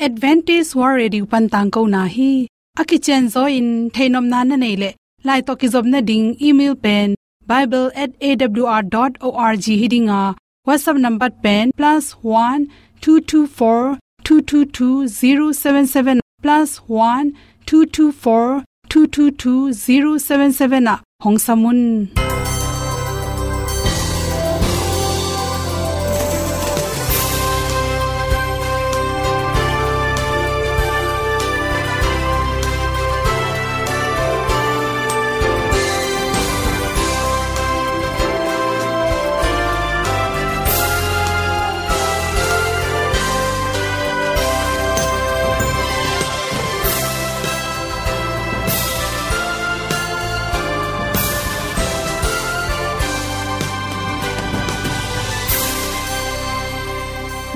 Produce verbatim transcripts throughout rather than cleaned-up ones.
Adventist World Radio pan tangkona hi. A kicianzaw in theihnopna na neih leh, lai tawh kizopna ding email pen bible at A W R dot org hi ding a, WhatsApp number pen plus one two two four two two two zero seven seven, plus one two two four two two two zero seven seven ah hong sam un.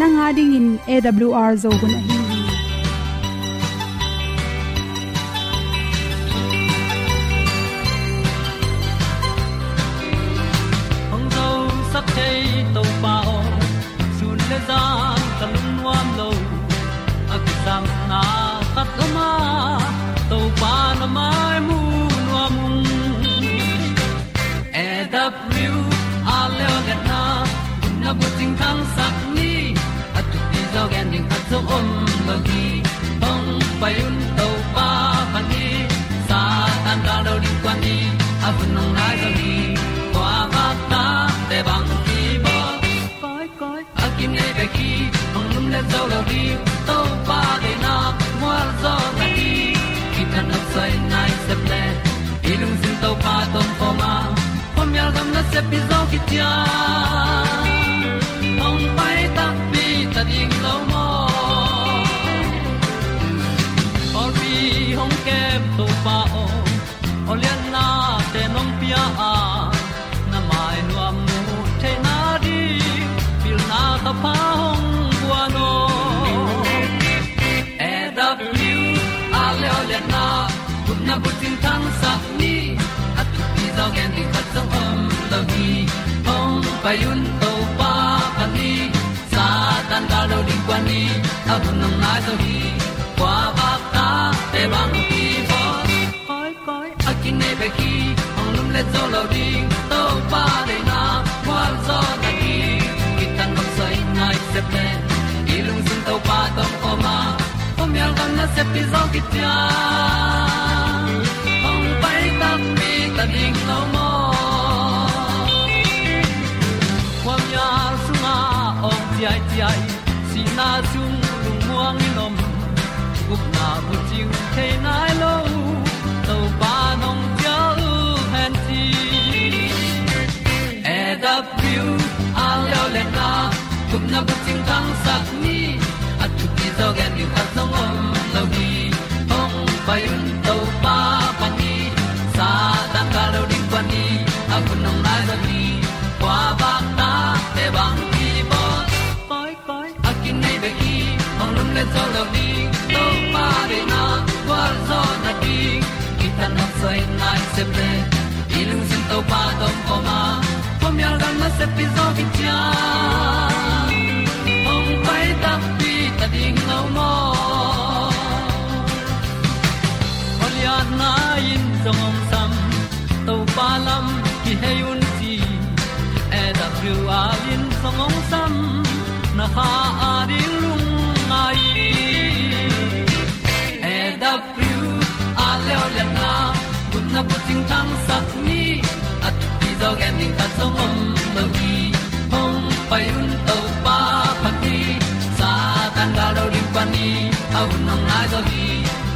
Nang a dingin A W R Zo hun ahi hi. Hong zosak thei Topa aw, sun le zan ka lungnuam lo. A kisapna khat om a, Topa na mai mu nuam ung. A W R le aw liatna, na bucing thangsak ni. A thupi zaw gen ding khat zong om lo hi. Hong pai un Topa phat ni. Satan gal lo ding kuan ni. A hun hong nai zo hi. Kua vak ta te bang ki bawl. Koi koi a kinei bek hi. Hong lum le zo lo ding. Topa deihna mual zaw na hi. Kithat nop soi nai sep le. I lungsim Topa tawh om a, khuamial gam nasep i zawh khit ciang hong pai takpi ta ding lo maw? Pawlpi hong kem Topa aw, aw liannate nong pia a, na mai nuam mu theihna ding pilna ka pha hong guan aw. A W R le aw liatna, gupna bucing thangsak ni. A thupi zaw gen ding khat zong om lo hi. Hong pai un Topa phat ni. Satan gal lo ding kuan ni. A hun hong nai zo hi. Kua vak ta te bang ki bawl. Koi koi a kinei bek hi. Hong lum le zo lo ding. Topa deihna mual zaw na hi. Kithat nop soi nai sep le. I lungsim Topa tawh om a, khuamial gam nasep i zawh khit ciang hong pai takpi ta ding lo maw? Khuamial sungah awng ciaiciai, sihna sung lungmuang in om, gupna bucing thei nai lo, Topa nong cial hen ci. A W R le aw liatna, gupna bucing thangsak ni. A thupi zaw gen ding khat zong om lo hi. Hong pai un Topa phat ni. Satan gal lo ding kuan ni. A hun hong nai zo hi. Kua vak ta te bang ki bawl. Koi koi a kinei bek hi. Hong lum le zo lo ding. Topa deihna gualzawhna ding. Kithat nop soi nai sep le. I lungsim Topa tawh om a, khuamial gam nasep i zawh khit ciang hong pai takpi ta ding lo maw? Aw liatna in zong hong sam, Topa lam kihei un ci. A W R in zong hong sam, na kha a ding lungngai. A W R le aw liatna, gupna bucing thangsak ni. A thupi zaw gen ding khat zong om lo hi. Hong pai un Topa phat ni. Satan gal lo ding kuan ni. A hun hong nai zo hi.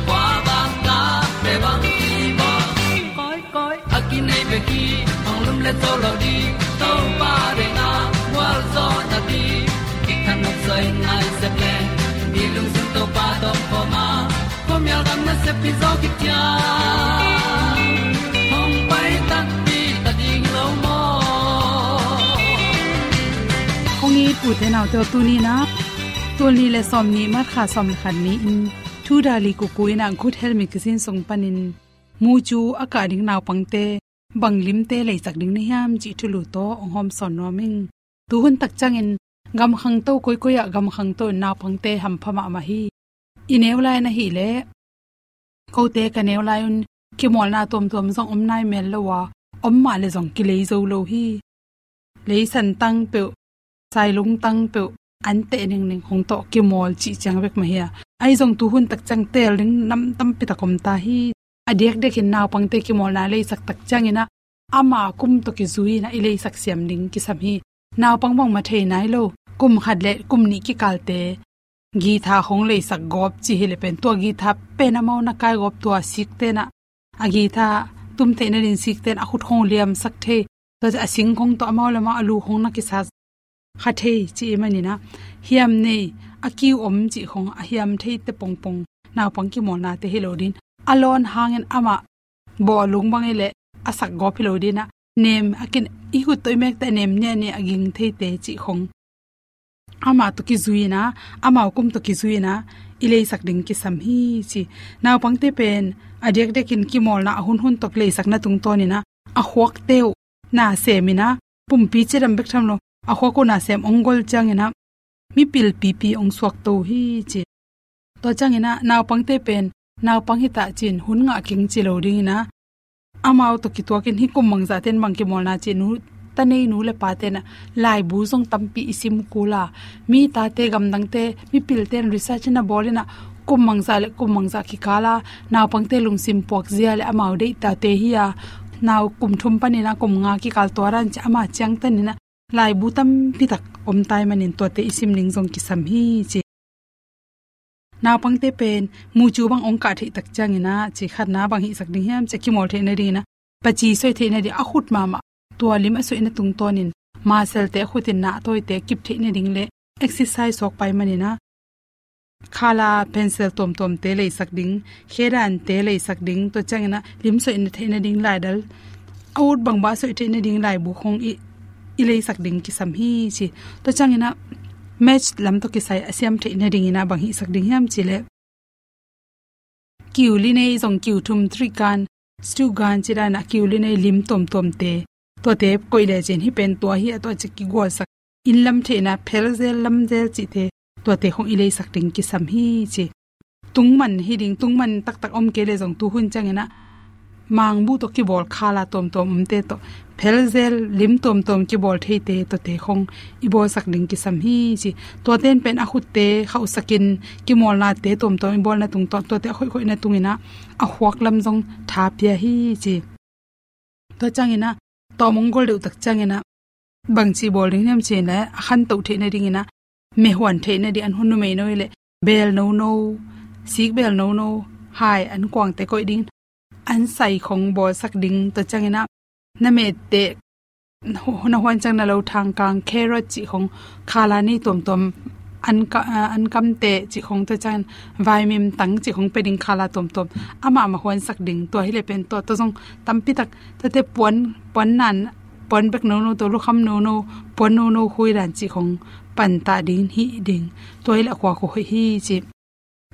Kua vak ta te bang ki bawl. Koi koi a kinei bek hi. Hong lum le zo lo ding. Topa deihna gualzawhna ding. Kithat nop soi nai sep le. I lungsim Topa tawh om a, khuamial gam nasep i zawh khit ciang hong pai takpi ta ding lo maw? Kong it u te nau te aw, tuni-in ah tul nih le sawmnih March kha sawm le khat ni-in Thu Dali Kuku in ah Good Health Magazine sung panin mu cu a kah ding naupangte bang limte leicak ding na hiam cih thulu tawh hong hawm sawn nuam ing. Tuhun tak ciangin gam khangto koikoi ah gam khangto in naupangte hampha mahmah hi. I neu lai na hi leh, kote ka neu lai un kimawlna tuamtuam zong om nai mel lo a, om mah le zong kilei zo lo hi. Leisan tang peuh, sailung tang peuh, an teh ningning hong tawh kimawl cih ciang bek mah hi a. Ahi zong tuhun tak ciang teel ding nam tampi tak om ta hi. A diakdiakin naupangte kimawlna leisak tak ciangin ah, ama kum tawh kizui in ah i leisak siam ding kisam hi. Naupang bangmah thei nai lo, kum khat le kum nih kikalte guitar hong leisak gawp ci hi le pen, tua guitar pen amau na kai gawp, tua sikten ah, a guitar tum theih nading sikten a khut hong liamsak thei, tua a sing hong tawh amau le amau a lu hong na kisa kha thei ci i manin ah, hiam nei, a kiu om cih hong, a hiam theite pongpong naupang kimawlnate hi lo ding. A lawn hangin amah bawh lung bang i leh a sak gawp hi lo ding ah, nem a kin, i khut tawh i mekte a nem niahniah a ging theite cih hong, amah tawh kizui in ah, amau kum tawh kizui in ah i leisak ding kisam hi ci. Naupangte pen a diakdiakin kimawlna a hunhun tawh leisakna tungtawnin ah, a khuakte uh na sem in ah, pumpi cidam bek tham lo, a khuak uh na sem ong gol ciangin ah, mipil pipi ong suakto hi ci. Tua ciangin ah naupangte pen naupang hi ta ci-in hun ngah keng ci lo dingin ah, amau tawh kituakin hih kum bangzahte in bang kimawlna ci, nu, ta nei nu le pate in ah laibu zong tampi i sim kul a, mi tate gamdangte, mipilte in research na bawl in ah, kum bangzah le kum bangzah kikal a naupangte lungsim puakzia le amau deih tate hi a, nau kum thum panin ah kum nga kikal tua dan ci, ama ciangtan in ah laibu tampi tak om tai manin tuate i sim ding zong kisam hi ci. Naupangte pen mucu bang ong kah theih tak ciangin ah, ci, khatna bang hihsak ding hiam ci, kimawl theih nadingin ah, paci soi theih nading, a khut mahmah tua lim a soihna tungtawnin muscle-te, a khutin nahtawite kip theih nading le exercise suak pai manin ah, khala pencil tuamtuamte leisak ding, khedante leisak ding, tua ciangin ah lim soih theih nading laidal, a ut bangbang soih theih nading laibu hong i, i leisak ding kisam hi ci. Tua ciangin ah maths lam tawh kisai a siam theih nadingin ah bang hihsak ding hiam ci leh, kiu li nei zong, kiu thum, three gun, two gun ci dan ah kiu li nei lim tuamtuamte, tuate koih le cin hih pen tua hi a, tua ci kigualsak, inn lam theihna, phel zel lam zel cihte, tuate hong i leisak ding kisam hi ci. Tungman hi ding, tungman taktak om kei le zong tuhun ciangin ah mangbuh tawh kibawl khala tuamtuam omte tawh, phel zel lim tuamtuam kibawl theite tuate hong i bawlsak ding kisam hi ci. Tuate in pen a khutte khauhsakin kimawlnate tuamtuam i bawlna tungtawn, tuate a khoihkhoihna tungin ah a khuak lam zong tha pia hi ci. Tua ciangin ah tawm ong gol deuh tak ciangin ah bangci bawl ding hiam ci leh, a khantoh theih nadingin ah, mehuan theih nading, an hun numei no i leh beel nono, sik beel nono, hai, an kuangte koih ding, an sai khong bawlsak ding. Tua ciangin ah na mette, na huan ciang na lothang kang, carrot cih khong, khala nei tuamtuam, an ka, ah, an kamte cih khong, tua ciangin vaimim tang cih khong pia ding, khala tuamtuam amah mah huansak ding. Tua hi le pen tua, tua zong tampi tak, tuate puan, puan nan, puan bek nono, tua lukham nono, puan nono khui dan cih khong pantah ding, hih ding. Tua hi le a khuak uh hoih hi ci.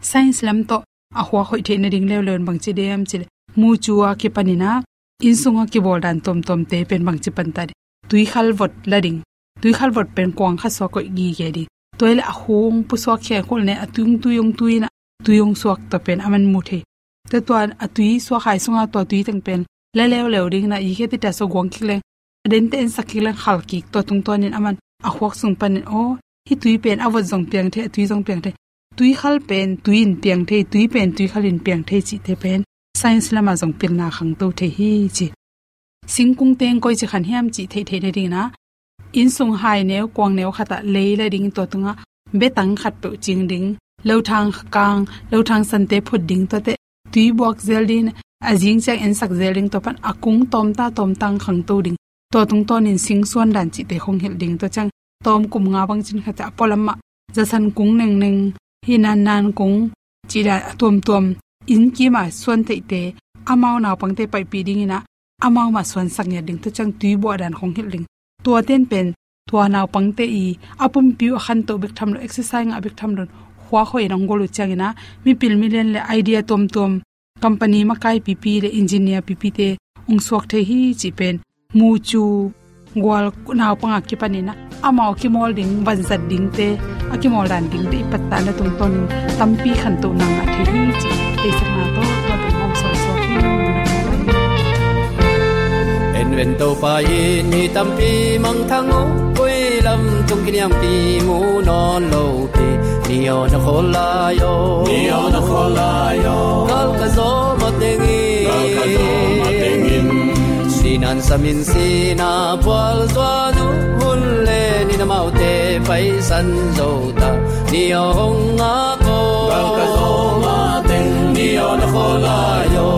Science lam tawh a khuak hoih theih nading leuleu in bangci ding hiam ci leh, mucu a kipanin ah inn sung a kibawl dan tuamtuamte pen bangci pantah ding, tuikhal vot la ding. Tuikhal vot pen kuang khat sua koih gige ding. Tua hi le a khung pusuak khia khol ne, a tui ong tui ong tui in ah tui ong suak, tua pen a man mu thei. Tua, tua a tui suak hai sungah tua tui teng pen la leuleu dingin ah, i khe ti ta so guang kik leng, a dente en sak kik leng khal kik, tua tungtawnin a man a khuak sung panin, aw, hih tui pen a vot zong piang thei, a tui zong piang thei. Tuikhal pen tui in piang thei, tui pen tuikhal in piang thei cihte pen science lamah zong pilna khangto thei hi ci. Singkung teng koici khan hiam cih theih theih nadingin ah, inn sung hai neu, kuang neu khatah lei la ding, tua tungah betang khatpeuh cing ding, lothang kang, lothang sante phut ding, tuate tui buak zel ding, a zing ciang ensak zel ding, tua pan a kung tawmta tawmtang khangto ding. Tua tungtawnin sing suan dan cihte khong hilh ding, tua ciang tawm kum nga bang cin khat ciah a pualam ah zasan kung nengneng, hih nannan kung cih dan a tuamtuam inn kimah suan theihte, amau naupangte paipih dingin ah amau mah suansak ngiat ding, tua ciang tui buah dan khong hilh ding. Tuate in pen tua naupangte i a pumpi uh a khantoh bek tham lo, exercise ngah bek tham lo in khuak hoih in ong gol uh ciangin ah, mipil milian le idea tuamtuam, company makai pipi le engineer pipite ong suak thei hi cih pen mucu Gual naupang a kipanin ah amau kimawl ding, vanzat dingte, a kimawl dan dingte i pattan na tungtawnin tampi khantohna ngah thei hi cih teisakna tawh tua pen hong sawlsawk hi. En ven, Topa in mi tampi mangthang uh, koi lam tung kiniampi mu nawn lo pi. Ni aw na khawl lai aw, ni aw na khawl lai aw, gal ka zawh matengin, gal ka zawh matengin. Sinan samin sina pual zuan uh, hun le ni na amaute paisan zo ta. Ni aw hong ngak aw, gal ka zawh mateng, ni aw na khawl lai aw,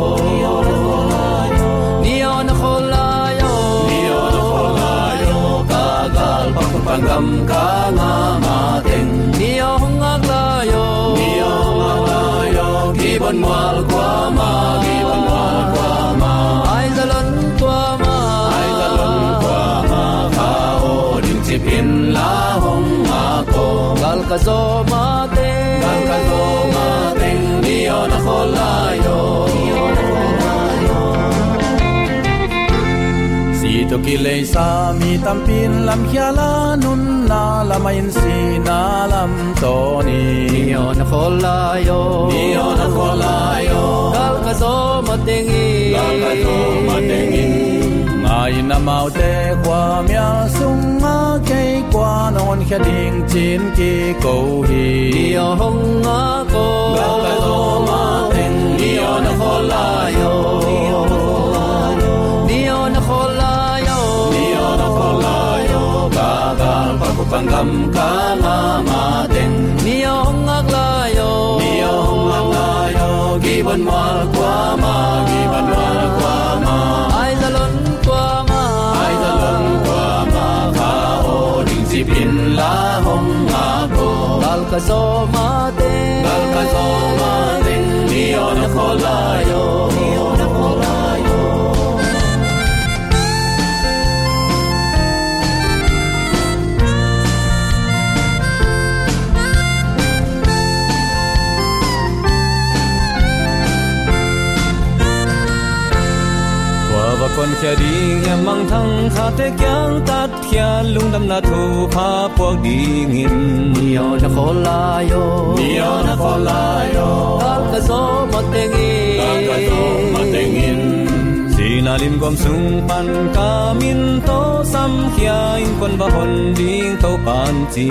ni aw na khawl lai aw, ni aw na khawl lai aw, ka gal pak pan gam ka ngah mateng. Ni aw hong ngak lai aw, ni aw hong ngak lai aw, gibon mual kuamah, gibon mual kuamah. Ai zalon kuamah, ai zalon kuamah, kha aw ding cipin la hong ngak aw. Gal ka zawh mateng, gal ka zawh mateng, ni aw na khawl lai aw, ni aw na khawl lai aw. Si tawh kileisa mi tampin lamkhia la, nunna lamah in sina lam tawn in. Ni aw na khawl lai aw, ni aw na khawl lai aw, gal ka zawh matengin, gal ka zawh matengin. Ngai in amaute khuamial sungah kei kua nong honkhia ding ci-in kiko hi. Ni aw hong ngak aw, gal ka zawh mateng, ni aw na khawl lai aw, ni aw na khawl lai aw, ni aw na khawl lai aw, ka gal pak pan gam ka ngah mateng. Ni aw hong ngak lai aw, ni aw hong ngak lai aw, gibon mual kuamah, gibon mual kuamah. Ai zalon kuamah, ai zalon kuamah, kha aw ding cipin la hong ngak aw. Gal ka zawh mateng, gal ka zawh mateng, ni aw na khawl lai aw, ni aw na khawl lai aw. Tua va kuankhia ding hiam mangthang khate kiang, tatkhiat lungdamna thupha puak dingin. Ni aw na khawl lai aw, ni aw na khawl lai aw, gal ka zawh matengin, gal ka zawh matengin. Sina limguam sung pan ka min tawh samkhia, innkuan va hon ding Topa'n ci.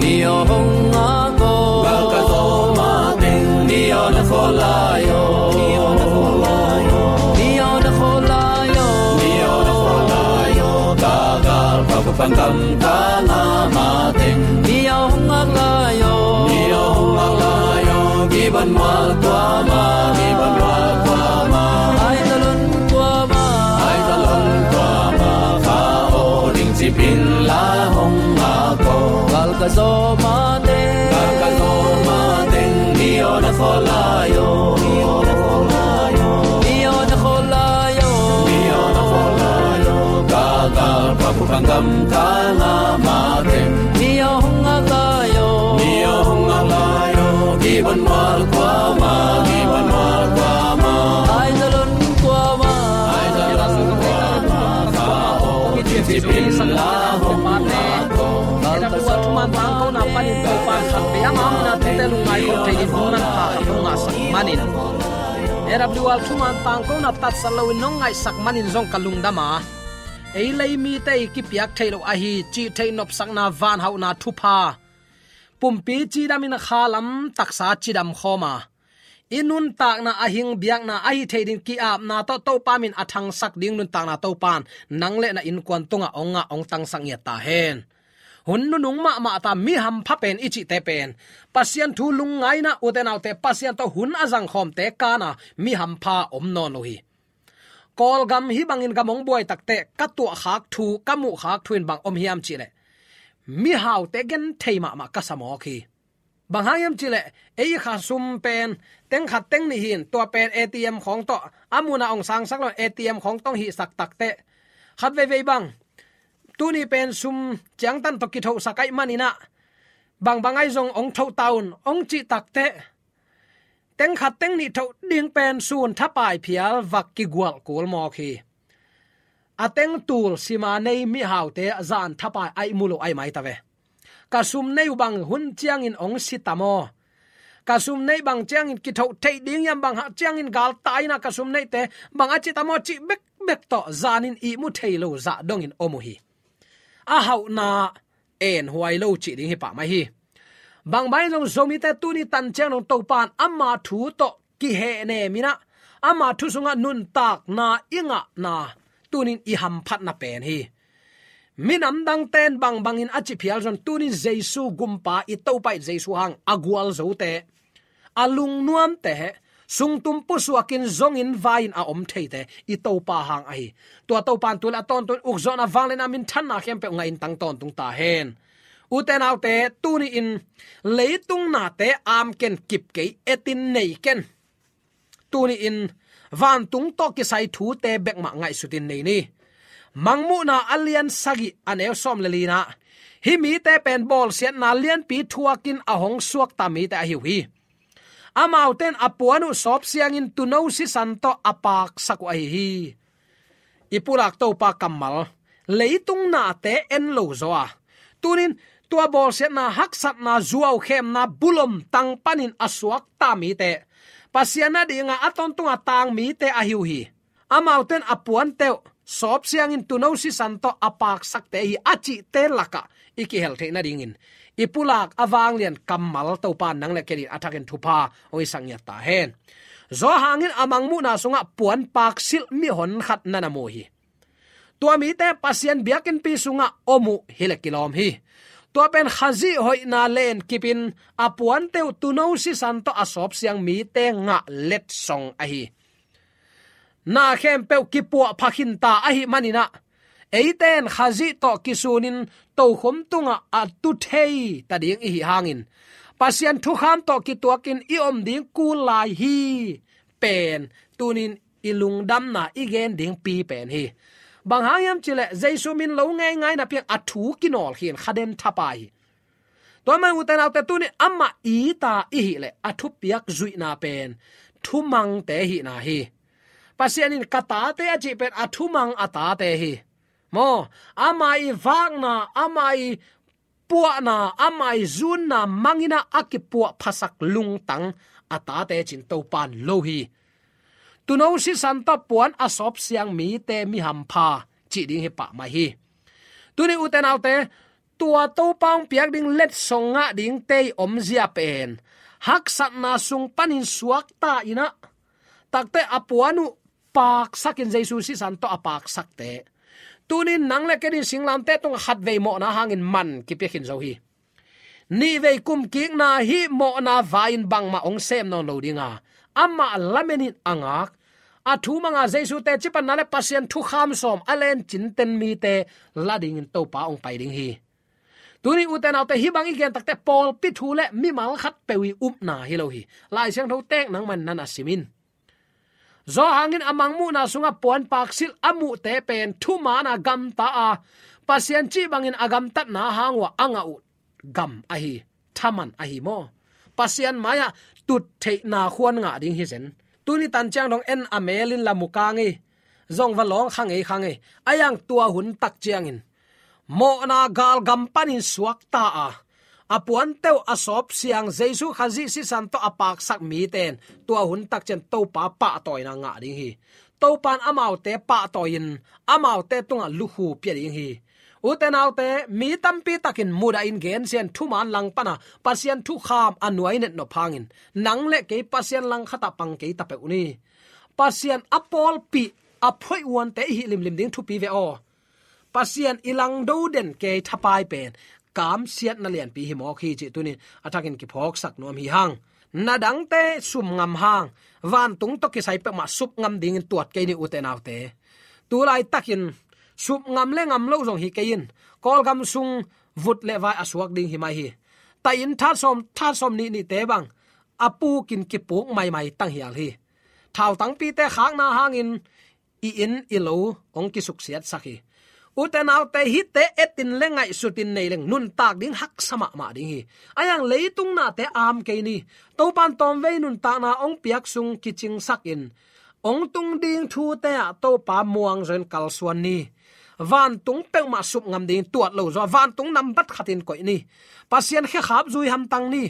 Ni aw hong ngak aw, gal ka zawh mateng, ni aw na khawl lai aw, ni aw na khawl lai aw, ni aw na khawl lai aw, ni aw na khawl lai aw, ka gal pak pan gam ka ngah mateng. Ni aw hong ngak lai aw, ni aw hong ngak lai aw, gibon mual kuamah, gibon mual kuamah. Ai zalon kuamah, ai zalon kuamah, kha aw ding cipin la hong ngak aw. Gal ka zawh mateng, gal ka zawh mateng, ni aw na khawl lai aw, ni aw na khawl lai aw, ni aw na khawl lai aw, ni aw na khawl lai aw, ka gal pak pan gam ka ngah mateng. Ni aw hong ngak lai aw, ni aw hong ngak lai aw, gibon mual kuamah, gibon mual kuamah. Ai zalon kuamah, ai zalon kuamah, kha aw ding cipin la hong ngak aw. Gal ka zawh thuman tangkona panin Topa'n khat vei a ngah mina tute lungngai khawm thei ding hong manpha khat hong ngahsak manin, A W R thuman tangkona tatsat loin nong ngaihsak manin zong ka lungdam a, ei lei mite i kipiak theih loh ahi cih theih nopsakna, vanhauhna thupha, pumpi cidamin kha lam taksa cidam khawm a, i nuntakna a hing biakna ahi thei ding ki-apna tawh Topa min a thangsak ding nuntakna Topa'n nang le na innkuan tungah hong ngah, hong tangsak ngiat ta hen. Hun nunung mahmah ta, mi hampha pen i cihte pen Pasian thu lungngaina, ute naute, Pasian tawh hun a zangkhawmte kana mi hampha om nawn lo hi. Kawlgam hih bangin gam hong buai takteh ka tuahkhak thu, ka muhkhak thu in bang om hiam cihleh, mihaute genthei mahmah ka sa mawk hi. Bang hang hiam cihleh, ei i kha sum pen teng khat teng nih hi-in, tua pen A T M khawng tawh a mun ah hong sangsak lo-in A T M khawng tawh hong hihsak takteh, khat veivei bang, tuni pen sum ciangtan tawh kithohsak ahih manin ah, bangbang ahi zong hong thoh ta un, hong cih takteh, teng khat teng nih thoh ding pen sun thapai phial vak kigualh kul mawk hi. a teng tul sima nei mihaute zan thapai a ihmu lo ahi mai ta ve. Ka sum nei uh bang hun ciangin hong si ta maw? Ka sum nei bang ciangin kithoh theih ding hiam, bang hang ciangin galtai-in ah ka sum neite bang a ci ta maw cih bekbek tawh zanin ihmu thei lo zah dongin om uh hi. A hauhna en huai lo cih ding hi pah mai hi. Bang bang zong Zomite tuni tan ciang dong Topa'n ama thu tawh kihehnem in ah, ama thu sungah nuntakna i ngahna tunin i hamphatna pen hi. Minam dangte'n bangbangin a ci phial zong tunin Jesu gumpa i Topa i Jesu hang a gualzote, a lungnuamte, sungtum pusuakin zongin vai-in a om theite i Topa hang ahi. Tua Topa'n tu leh a tawntung ukzawhna, vangliatna, minthanna khempeuh ngahin tang tawntung ta hen. Ute naute, tuni-in leitung nate am ken, kip kei, etin nei ken. Tuni-in vantung tawh kisai thute bekmah ngaihsutin nei ni. Mangmuhna a lian sagih a neu sawm le li-na, hih mite pen bawlsiatna lianpi thuakin a hong suakta mite ahi uh hi. Amaute in a puan uh sawpsiangin tuuno sisan tawh a paksak uh ahi hi. I pulak Topa kammal, leitung nate en lo zaw a, tunin tua bawlsiatna, haksatna, zuaukhemna, bulom tang panin a suakta mite, Pasian adinga a tawntunga tang mite ahi uh hi. Amaute in a puante uh sawpsiangin tuuno sisan tawh a paksakte hi a cihte lakah i kihel theih nadingin i pulak a vanglian kammal Topa'n nang le kei adingin a thakin thupha hong hisak ngiat ta hen. Johan in a Mangmuhna sungah puan paksilh mihon khat na na mu hi. Tua mite Pasian biakinnpi sungah om uh hi leh kilawm hi. Tua pen Khazih hoihna lenkipin a puante uh tuuno sisan tawh a sawpsiang mite ngah letsong ahi. Na khempeuh kipuahpha khinta ahih manin ah, eite in Khazih tawh kisunin tokhom tungah a tu thei ta ding i hih hangin, Pasian thukham tawh kituakin i om ding kul lai hi pen tunin i lungdamna i gen dingpi pen hi. Bang hang hiam cih leh Jesu min lo ngeingai napi-in a thu kinawlkhia in kha den thapai hi. Tua man ute naute, tuni amah it a i hih leh a thupiak zuihna pen thumangte hihna hi. Pasian in ka tate a cih pen a thumang a tate hi. Maw, ama i vakna, ama i puahna, ama i zunna mangin ah a kipuahphasak lungtang a tate ci-in Topa'n lo hi. Tuuno sisan tawh puan a sawpsiang mite mi hampha cih ding hi pah mai hi. Tuni ute naute, tua Topa hong piak ding letsong ngah dingte i omzia pen haksatna sung panin suakta in ah, takte a puan uh paksakin Jesu sisan tawh a paksakte, tunin nang le kei in singlamteh tungah khatvei mawhna hangin man kipia khin zo hi. Nihvei kumkikna hih mawhna vai-in bangmah hong sem nawn lo ding a, amah lamenin a ngak, a thu manga Jesu teci panna le Pasian thukham sawm a lencin ten mite la dingin Topa hong pai ding hi. Tuni ute naute, hih bang i gen takte pawlpi thu le mimal khatpeuh i upna hi lo hi. Lai Siangtho teek nangman na na sim in. Johan in a Mangmuhna sungah puan paksilh a muhte pen thuman a gamta a, Pasian cih bangin a gamtatna hang uh a a ngah uh gam ahi, thaman ahi maw? Pasian mai-ah tuttheihna khuan ngah ding hi zen. Tuni tan ciang dong en a mel in la mu kang ei, zong va lawng kha ngei kha ngei. A iang tua hun tak ciangin mawhna galgam panin suakta a, a puante uh a sawpsiang Jesu Khazih sisan tawh a paksak mite in tua hun tak ciang Topa pahtawina ngah ding hi. Topa'n amaute pahtawi-in amaute tungah lukhu pia ding hi. Ute naute, mi tampi takin mudahin gensia-in thuman langpana Pasian thukham a nuai netnop hangin nang le kei Pasian langkhatah pang kei ta peuh ni. Pasian a pawlpi a phoih uante i hih limlim ding thupi ve aw. Pasian i langdo den kei thapai pen kamsiatna lianpi hi mawk hi cih tunin a thakin kiphawksak nuam hi hang. Na dangte sum ngam hang, vantung tawh kisai peuhmah sup ngam dingin tuat kei ni ute naute. Tu laitakin sup ngam le ngam lo zong hi kei in, Kawlgam sung vut le vai a suak ding hi mai hi. Taih inn that sawm, that sawm nih nihte bang a pukin kipuk maimai tanghial hi. Thautangpite khakna hangin i inn i lo hong kisuksiatsak hi. Ute naute, hihte etin le ngaihsutin nei leng nuntak ding haksa mahmah ding hi. A iang leitung nate am kei ni. Topa'n tawmvei nuntakna hong piak sung kicingsakin hong tung ding thute ah Topa muang zawin kalsuan ni. Vantung peuhmah sup ngam ding tuat lo zaw, vantung nambat khatin koih ni. Pasian khekhap zui hamtang ni.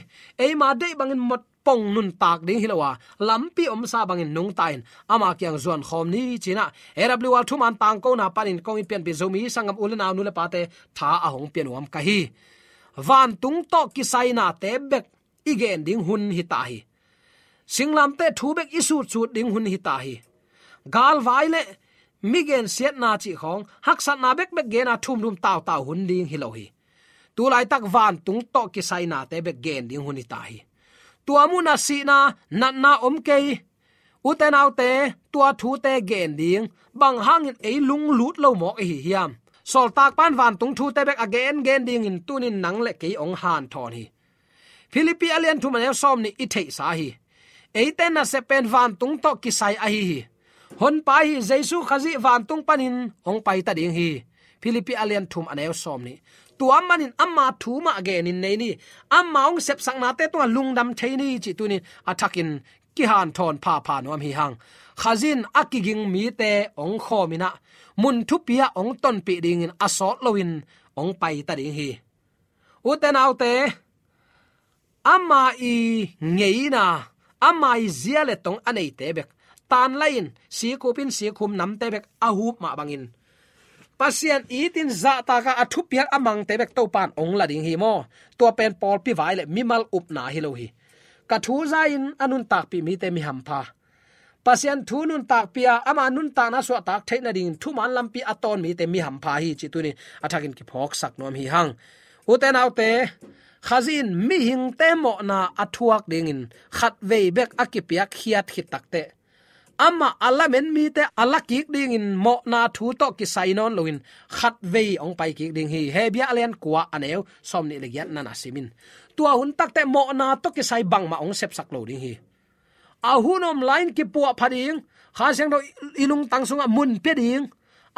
Eima deih bangin mot pong nuntak ding hi lo a, lampi omsa bangin nungta in ama kiang zuan khawm ni ci-in ah, A W R thuman tangkona panin kong i pianpih Zomi sanggam u le nau, nu le pate tha a hong pia nuam ka hi. Vantung tawh kisainate bek i gen ding hun hi ta hi. Singlamteh thu bek i sutsut ding hun hi ta hi. Galvai le mi gensiatna cih khawng haksatna bekbek gena thumthum tautau hun ding hi lo hi. Tulaitak vantung tawh kisainate bek gen ding hun hi ta hi. Tua munah sihna, natna om kei. Ute naute, tua thute gen ding bang hangin ei lunglut lo mawk i hi hiam? Sawltak pan vantung thute bek a gengen dingin tunin nang le kei hong hanthawn hi. Philippi a lian thum a neu sawm nih i theihsa hi. Eite nasep pen vantung tawh kisai ahi hi. Honpa hi Jesu Khazih vantung panin hong paita ding hi. Philippi a lian thum a neu sawm nih. Tua manin ama thu mah genin nei ni. Ama hong sepsaknate tungah lungdam thei ni cih tunin a thakin kihanthawn phapha nuam hi hang. Khazih in a kiging mite hong khawmin ah, mun thupi ah hong tonpih dingin a sawt loin hong paita ding hi. Ute naute, ama i ngeina, ama i zia le tong a neite bek tanlai-in, sikhup in, sikhum namte bek a hup mah bangin, Pasian itin zahtaka a thupiak a mangte bek Topan hong la ding hi maw? Tua pen pawlpi vai le mimal upna hi lo hi. Ka thu za-in a nuntakpih mite mi hampha. Pasian thu nuntakpih a, ama nuntakna suahtak theih nadingin thuman lampi a tawn mite mi hampha hi cih tunin a thakin kiphawksak nuam hi hang. Ute naute, Khazih in mihingte mawhna a thuak dingin khatvei bek a kipiak khiat khit takteh, amah a lamen mite a la kik dingin mawhna thu tawh kisai nawn loin khatvei hong pai kik ding hi. Hebru a lian kua a neu sawm nih le giatna na simin, tua hun takteh mawhna tawh kisai bangmah hong sepsak lo ding hi. A hun om lai-in kipuah pha ding, Kha Siangtho i lungtang sungah mun pia ding,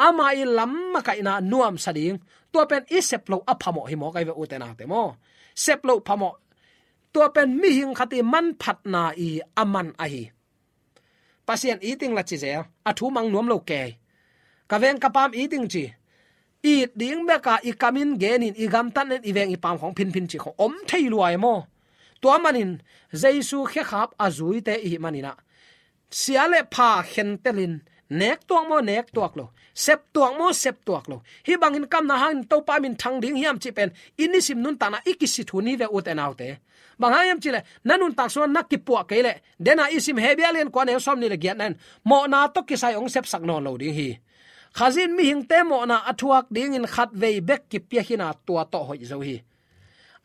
ama i lam makaihna nuamsa ding, tua pen i sep loh a phamawh hi mawk ahi ve ute naute maw? Sep loh phamawh. Tua pen mihing khat i manphatna i a man ahi. Pasian iting la ci zel, a thu mang nuam lo kei. Ka veng ka paam iting ci. It ding beka i kamin genin i gamtatnin i veng i paam khawng phinphin cih khawng om thei lua e maw? Tua manin Jesu khekhap a zuite i hih manin ah, sia le pha khentelin, nek tuak maw nek tuak lo, sep tuak maw sep tuak lo, hih bangin kamna hangin Topa min thang ding hiam cih pen i nisim nuntakna i kisit hun hi ve ute naute. Bang hang hiam cih leh na nuntak sungah na kipuah kei leh, dena i sim Hebru a lian kua a neu sawm nih le giatna in mawhna tawh kisai hong sepsak nawn lo ding hi. Khazih in mihingte mawhna a thuak dingin khatvei bek kipia hi-in ah tua tawh hoih zo hi.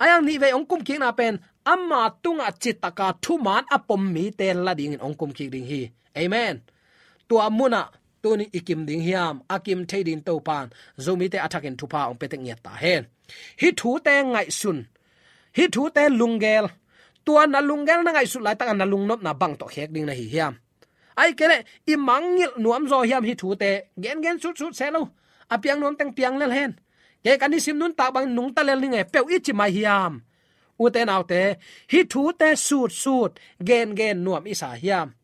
A yang nihvei hong kumkikna pen ama tungah citaka thuman a pom mite la dingin hong kumkik ding hi. Amen. Tua munah tunin i kim ding hiam? A kim thei dingin Topan Zomite a thakin thupha hong pia tek ngiat ta hen. Hih thute ngaihsun, hih thute lunggel. Tua na lunggel na ngaihsut laitakah na lungnopna bang tawh khek ding na hi hiam? Ahih kei leh i mangngilh nuam zaw hiam hih thute? Gengen sutsut seh lo. A piang nuam teng piang lel hen. Kei ka nisim nuntak bangin nungta lel ning e, peuh i ci mai hiam? Ute naute, hih thute sutsut gengen nuam i sa hiam?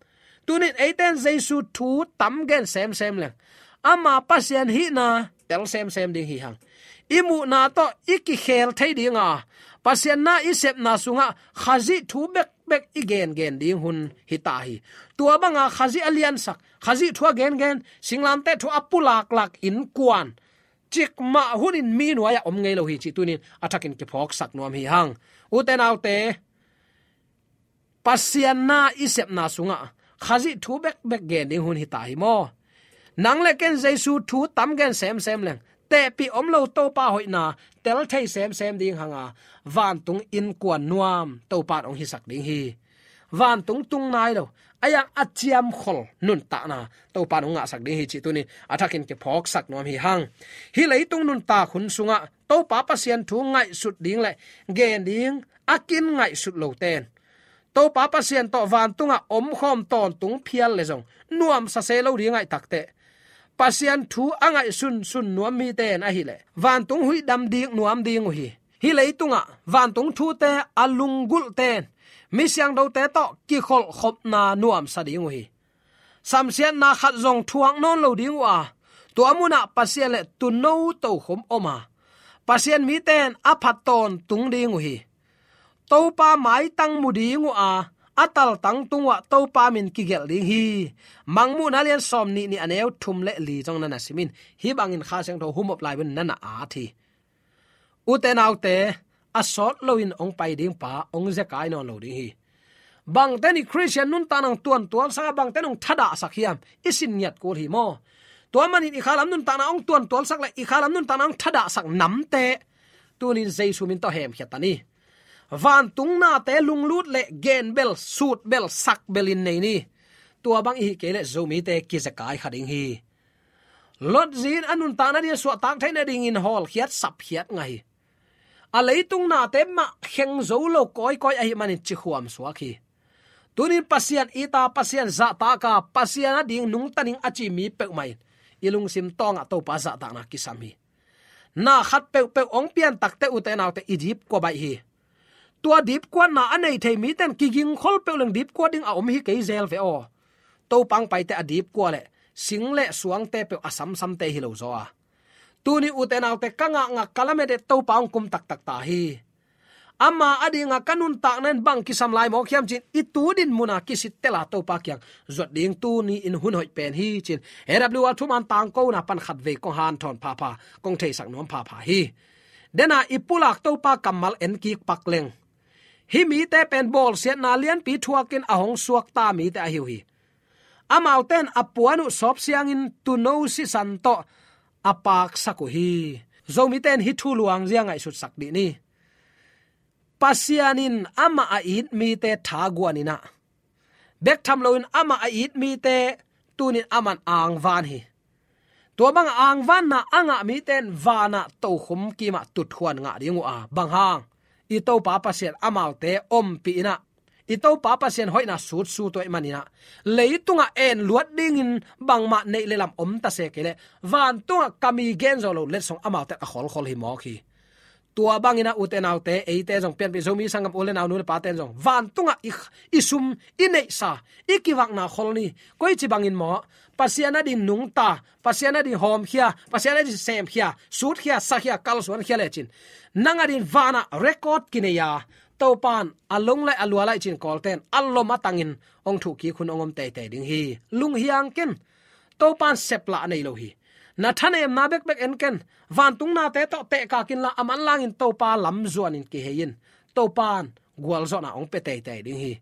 Tunin eite in Jesu thu tam gen semsem leng, ama Pasian hihna tel semsem ding hi hang. I muhna tawh i kikhel thei dinga, Pasian na i sepna sungah Khazih thu bekbek i gengen ding hun hi ta hi. Tua banga Khazih a liansak, Khazih thu a gengen, singlamteh thu a pulaklak innkuan cikmah hunin mi nuai-ah om ngei lo hi cih tunin a thakin kiphawksak nuam hi hang. Ute naute, Pasian na i sepna sungah Khazih thu bekbek gen ding hun hi ta hi maw? Nang le ken Jesu thu tam gen semsem leng, tehpih om lo Topa hoihna tel thei semsem ding hanga, vantung innkuan nuam Topan hong hisak ding hi. Vantung tung nai lo, a yang a ciamkhol nuntakna Topan hong ngahsak ding hi cih tunin a thakin kiphawksak nuam hi hang. Hih leitung nuntak hun sungah Topa Pasian thu ngaihsut ding le gen ding a kin ngaihsut lote in, Topa Pasian tawh vantungah omkhawm tawntung phial le zong nuamsa se lo ding ahih takteh, Pasian thu a ngaihsunsun nuam mite in ahih leh vantung huih dam dik nuam ding uh hi. Hih leitungah vantung thute a lunggulhte in mi siangthote tawh kikholhkhopna nuamsa ding uh hi. samsiatna khat zong thuak nawn lo ding uh a, tua munah Pasian le tuuno tokhom om a, Pasian mite in a phat tawntung ding uh hi. Topa maitang mu ding uh a, a taltang tung uh ah Topa min kigelh ding hi. Mangmuhna lian sawmnih nih a neu thum le li zong na na sim in, hih bangin Kha Siangtho humop lai bun na na at hi. Ute naute, a sawt loin hong pai ding pa hong zekai nawn lo ding hi. Bangte in Khristian nuntakna hong tuantualsak a, bangte in hong thadahsak hiam, i sin ngiat kul hi maw? Tua manin i khalam nuntakna hong tuantualsak le i khalam nuntakna hong thadahsak namte tunin Jesu min tawh hemkhia ta ni. Vantung nate lunglut le genbel, sutbel, sakbel in nei ni. Tua bang i hih kei leh Zomite kizekai kha ding hi. Lot zi in a nuntakna ding a suahtak theih nadingin hawlkhiat sapkhiat ngah hi. A leitung nate mah kheng zo lo kawikawi ahih manin cikhuam suak hi. Tunin Pasian it a, Pasian zahtak a, Pasian ading nungta ning a ci mi peuhmah in i lungsim tawngah Topa zahtakna kisam hi. Na khat peuhpeuh hong pian takteh ute naute, i dipkua baih hi. Tua dipkuatna a nei thei mite in kigingkhol peuh leng dipkuat ding a om hi kei zel ve aw. Topa hong paite a dipkua leh sing le suangte peuh a samsamte hi lo zaw a, tuni ute naute, ka ngakngak ka lamet eh Topa hong kum taktak ta hi. Ama adinga ka nuntakna in bang kisam lai mawk hiam ci-in i tu din muna kisittel a Topa kiang zuat ding tuni in hun hoih pen hi ci-in A W R thuman tangkona pan khatvei kong hanthawn phapha, kong theisak nuam phapha hi. Dena i pulak Topa kammal en kik pak leng, hih mite pen bawlsiatna lianpi thuakin a hong suakta mite ahi uh hi. Amaute in a puan uh sawp siangin tuuno sisan tawh a paksak uh hi. Zomite in hih thu luang zia ngaihsutsak dih ni. Pasian in amah a it mite thaguan in ah, bek tham loin amah a it mite tunin aman angvan hi. Tua banga angvanna a ngah mite in vanah tokhom kimah tuthuan ngah ding uh a, bang hang? I Topa Pasian amaute ompih in ah, i Topa Pasian hoihna sutsu tuah ih manin ah, leitungah en luat dingin bangmah neih le lam om ta se kei leh, vantungah ka mi gen zo lo letsong amaute a kholkhol hi mawk hi. Tua bangin ah ute naute, eite zong pianpih Zomi sanggam u le nau, nu le pate in zong vantungah i, i sum, i neihsa, i kivakna khol ni. Koici bangin maw? Pasian ading nungta, Pasian ading hawmkhia, Pasian ading semkhia, sutkhia, sakhia, kalsuankhia lecin, nang ading vanah record kinei a, Topan a long laih a lua laih cin kawlten a lom a tangin hong thuhkik hun hong om teitei ding hi. Lunghiang ken. Topan seplah a nei lo hi. Na thanemna bekbek en ken. Vantung nate tawh tehkak inla, a manlangin Topa lamzuanin kihei in. Topan gualzawhna hong pia teitei ding hi.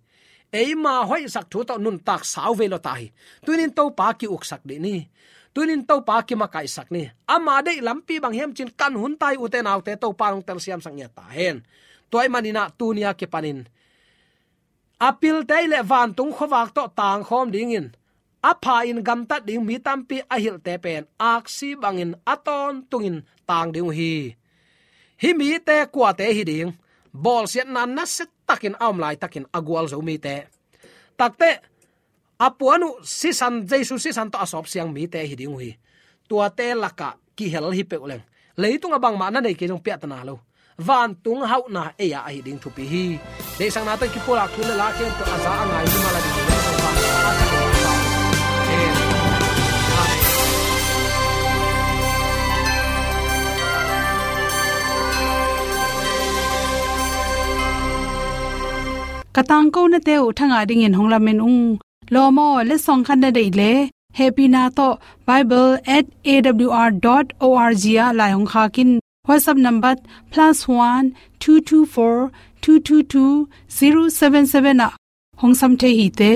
Eima hoihsak thu tawh nuntak sau vei lo ta hi. Tunin Topa ki-uksak dih ni. Tunin Topa kimakaihsak ni. Ama deih lampi bang hiam cin kan hun ta hi, ute naute, Topa hong telsiamsak ngiat ta hen. Tua ih manin ah tunia kipanin a pilte ih le vantung khuavak tawh tangkhawm dingin, a pha-in gamtat ding mi tampi a hilhte pen aksi bangin a tawntungin tang ding uh hi. Hih mite kuate hi ding? Bawlsiatna nasiatakin a om laitakin a gualzo mite. Takteh a puan uh sisan, Jesu sisan tawh a sawp siang mite hi ding uh hi. Tuate lakah kihel hi peuh leng, leitungah bangmah na nei kei zong piahtana lo, vantung hauhna ei-a ahi ding thupi hi. Deihsakna tawh kipulak thu le la khempeuh a za a ngai mimal a ding hi. Amen. Ka tangkonate uh thangah dingin hong lamen ung. Lawm aw, letsong khat na deih leh, hehpihna tawh bible at A W R dot O R G ah lai hong khak in. WhatsApp number plus one two two four two two two zero seven seven ah hong sam thei hi te.